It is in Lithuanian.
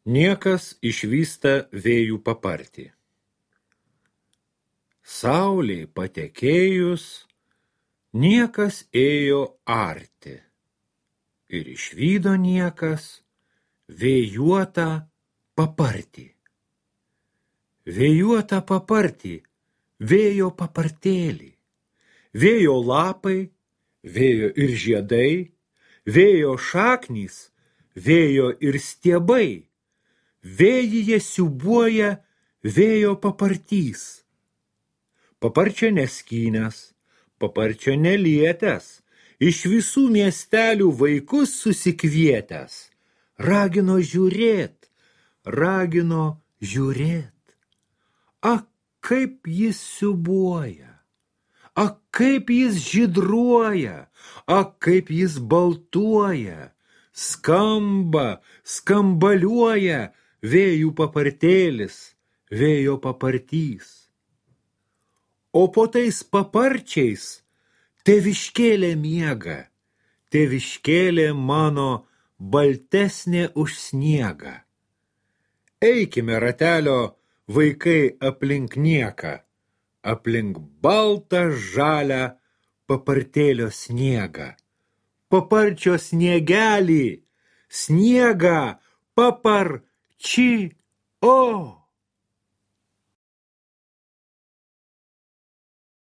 Niekas išvysta vėjų papartį. Saulei patekėjus, niekas ėjo arti. Ir išvydo niekas vėjuotą papartį. Vėjuotą papartį, vėjo papartėlį. Vėjo lapai, vėjo ir žiedai, vėjo šaknys, vėjo ir stiebai. Vėjyje siūbuoja vėjo papartys. Paparčio neskynęs, paparčio nelietęs, iš visų miestelių vaikus susikvietęs. Ragino žiūrėt, ragino žiūrėt. Ak, kaip jis siūbuoja, ak, kaip jis žydruoja, ak, kaip jis baltuoja, skamba, skambaliuoja vėjų papartėlis, vėjo papartys. O po tais paparčiais tėviškėlė miega, tėviškėlė mano baltesnė už sniegą. Eikime ratelio vaikai aplink nieką, aplink baltą žalią papartėlio sniegą. Paparčio sniegelį, sniegą paparči, o.